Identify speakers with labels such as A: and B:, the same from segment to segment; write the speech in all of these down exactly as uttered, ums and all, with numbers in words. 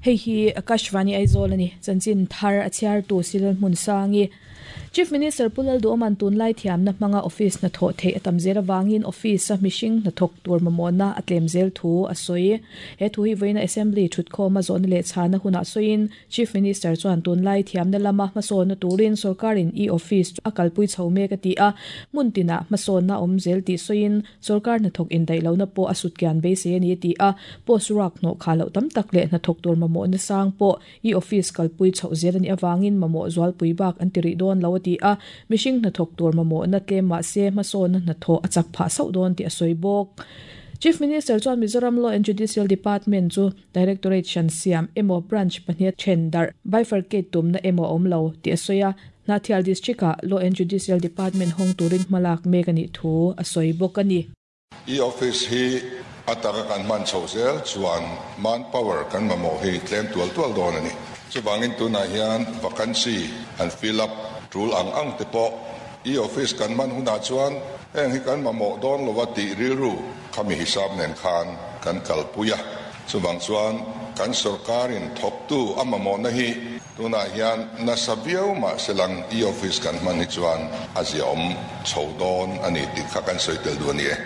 A: Hei hi Akashvani Aizawl ani chanchin thar a chhiar tu silal hmun sangi Chief Minister Pulal Duoman tunlai thiamna hmanga office na tho thei atam zel awangin office a mihring na thawk tur mamawhna a tlem zel thu a sawi. He thu hi vawiina assembly thutkhawm a zawhna leh chhana hunah sawiin Chief Minister chuan tunlai thiamna lama hmasawnna turin sorkarin e-office a kalpui chho mek a ti a, hmun tinah hmasawnna awm zel tih sawiin sorkar hnathawk indaih lohna pawh a sutkian beisei a ni a ti a, post ruak hnawh kha loh tam tak leh hnathawk tur mamawhna sang pawh e-office kalpui chhoh zel a nih avangin mamawh zualpui bak an ti rih dawn lo a ti a, mihring hnathawk tur mamawhna tlem mahse hmasawnna hnathawh a chak phah sauh dawn tih a sawi bawk. Chief Minister chuan Mizoram Law and Judicial Department chu Directorate hran siam emaw branch pahnih then darh bifurcate tumna emaw awm lo tih a sawi a, Hnahthial District-ah Law and Judicial Department hawng turin hmalak mek a nih thu a sawi bawk a ni.
B: E-office hi a taka kan hman chhoh zel chuan manpower kan mamawh hi tlem tual tual dawn a ni. Chuvangin tunah hian vacancy an fill up tul ang ang te pawh e-office kan hman hunah chuan heng hi kan mamawh dawn lova tih rilru khami hisap nen khan kan kalpui a. Chuvang chuan kan sorkarin thawktu a mamawhna hi tunah hian nasa viau mahse lang e-office kan hman hi chuan a ziaawm chho dawn a ni tih kha kan sawi tel duh a ni e.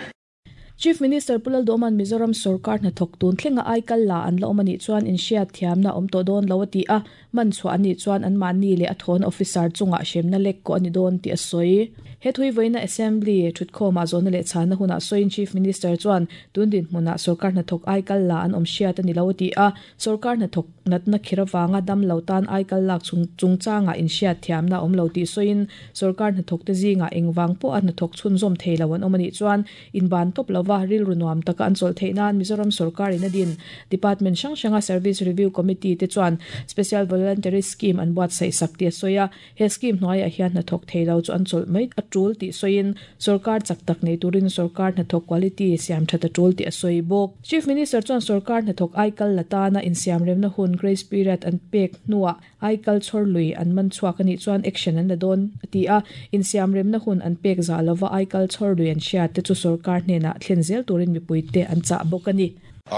A: Chief Minister Pulal Duoman Mizoram sarkar hnathawk tun thlenga aikal la an la awm anih chuan inhriat thiamna awm tawh dawn lo a ti a, man chhuah anih chuan an mahni leh a thawn officer chungah hremna lek ko ani dawn tih a sawi. He thui vawiina assembly thutkhawmah zawhna leh chhana hunah sawiin Chief Minister chuan tun dinhmunah sarkar hnathawk aikal la an awm hriat ani lo a ti a, sarkar hnathawk natna khir awanga dam lo tan aikal lak chung chungchanga inhriat thiamna awm lo tih sawiin sarkar hnathawk te zingah engwang pawh a hnathawk chhunzawm thei lo an awm anih chuan inban tawp lova rilru nuam taka an chawl theih nan Mizoram sarkarin a din Department hrang hranga Service Review Committee te chuan Special Voluntary Scheme an buatsaih sak tih a sawi a, he scheme hnuaiah hian hnathawk thei lo chu an chawlh mai a tul tih sawiin sarkar chak tak nei turin sarkar hnathawk quality siam that a tul tih a sawi bawk. Chief Minister chuan sarkar hnathawk aikal la tana insiam remna hun grace period an pek hnuah aikal chhawr lui an man chhuak anih chuan action an la dawn a ti a, insiam remna hun an pek za lova aikal chhawr lui an hriat te chu sarkar hnenah thlen zel turin mipui te an chah bawk a ni.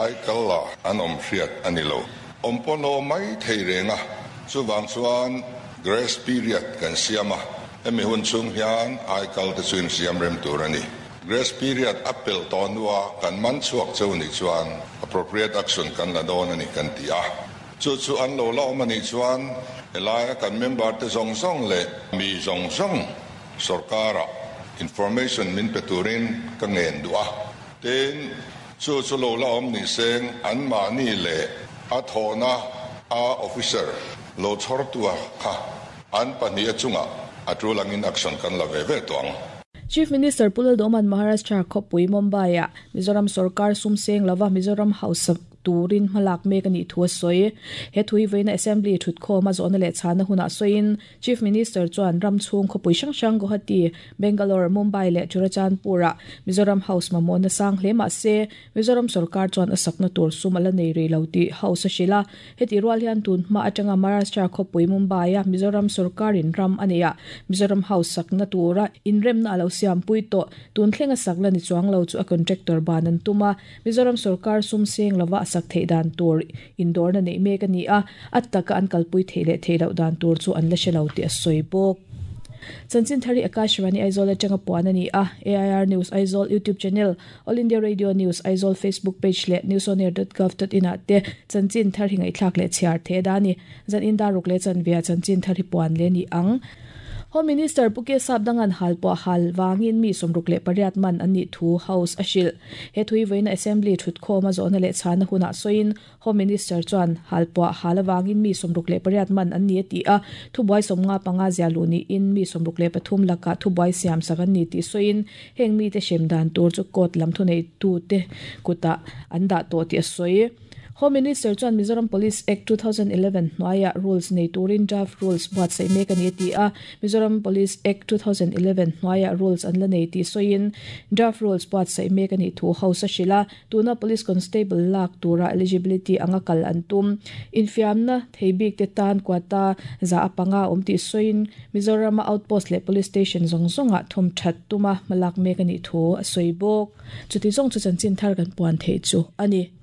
B: Aikal la an awm hriat ani lo. Awm pawn lo mai thei renga chuvang chuan grace period kan siam a, hemi hun chung hian aikal te chu insiam rem tur a ni. Grace period a pel tawh hnua kan man chhuak cheu nih chuan appropriate action kan la dawn a ni kan ti a. Chu chu an lo la awm anih chuan helaia kan member te zawng zawng leh mi zawng zawng sarkarah information min pe turin ka ngen duh a. Tin chu chu lo la awm ni seng an mahni leh a thawhna a officer lo chhawr tua kha an pahnih a chungah a tulangin action kan la ve ve tawh ang.
A: Chief Minister Pulal Duoman Maharashtra khawpui Mumbai-ah Mizoram sarkar sum seng lova Mizoram House turin hmalak mek anih thu a sawi. He thui vawiina assembly thutkhawm a zawhna leh chhana hunah sawiin Chief Minister chuan ram chhung khawpui hrang hrang Guwahati, Bangalore, Mumbai leh Churachandpur-ah Mizoram House mamawhna sang hle mahse Mizoram sarkar chuan a sakna tur sum a la nei rih lo tih House a hrilh a. Heti rual hian tun hma atanga Maharashtra khawpui Mumbai-a Mizoram sarkarin ram a nei a, Mizoram House sakna tura inremna a lo siampui tawh tun thlenga sakla ni chuang lo chu a contractor ban an tum a, Mizoram sarkar sum seng lova a sak theih dan tur indawrna nei mek a ni a, a taka an kalpui theih leh theih loh dan tur chu an la hre lo tih a sawi bawk. Chanchin Thari Akashvani Aizawl atanga puan a ni a, A I R News Aizawl YouTube channel, All India Radio News Aizawl Facebook page leh newsonair dot gov dot in ah te Chanchin Thari ngaihthlak leh chhiar the da ni. Zan in daruk leh chanvia Chanchin Thari puan le ni ang. Home Minister Puke Sapdangan hal pawh hal wangin mi sawmruk leh pariat man an nih thu House a hrilh. He thui vawiina assembly thutkhawm a zawhna leh chhana hunah sawiin Home Minister chuan hal pawh hal awangin mi sawmruk leh pariat man an ni a ti a, thubuai sawmnga panga zia lu niin mi sawmruk leh pathum lakah thubuai siam sak an ni tih sawiin heng mi te hrem dan tur chu court lam thu nei tu te kutah an dah tawh tih a sawi. Home Minister chuan Mizoram Police Act two thousand eleven hnuaiah rules nei turin draft rules buatsaih mek a ni a ti a, Mizoram Police Act two thousand eleven hnuaiah rules an la nei tih sawiin draft rules buatsaih mek a nih thu House a hrilh a, tuna police constable lak tura eligibility anga kal an tum. Infiamna thei bik te tan quota za a panga awm tih sawiin Mizoram a outpost leh police station zawng zawngah thawm that tuma hmalak mek a nih thu a sawi bawk. Chuti zawng chu chanchin thar kan puan thei chu a ni.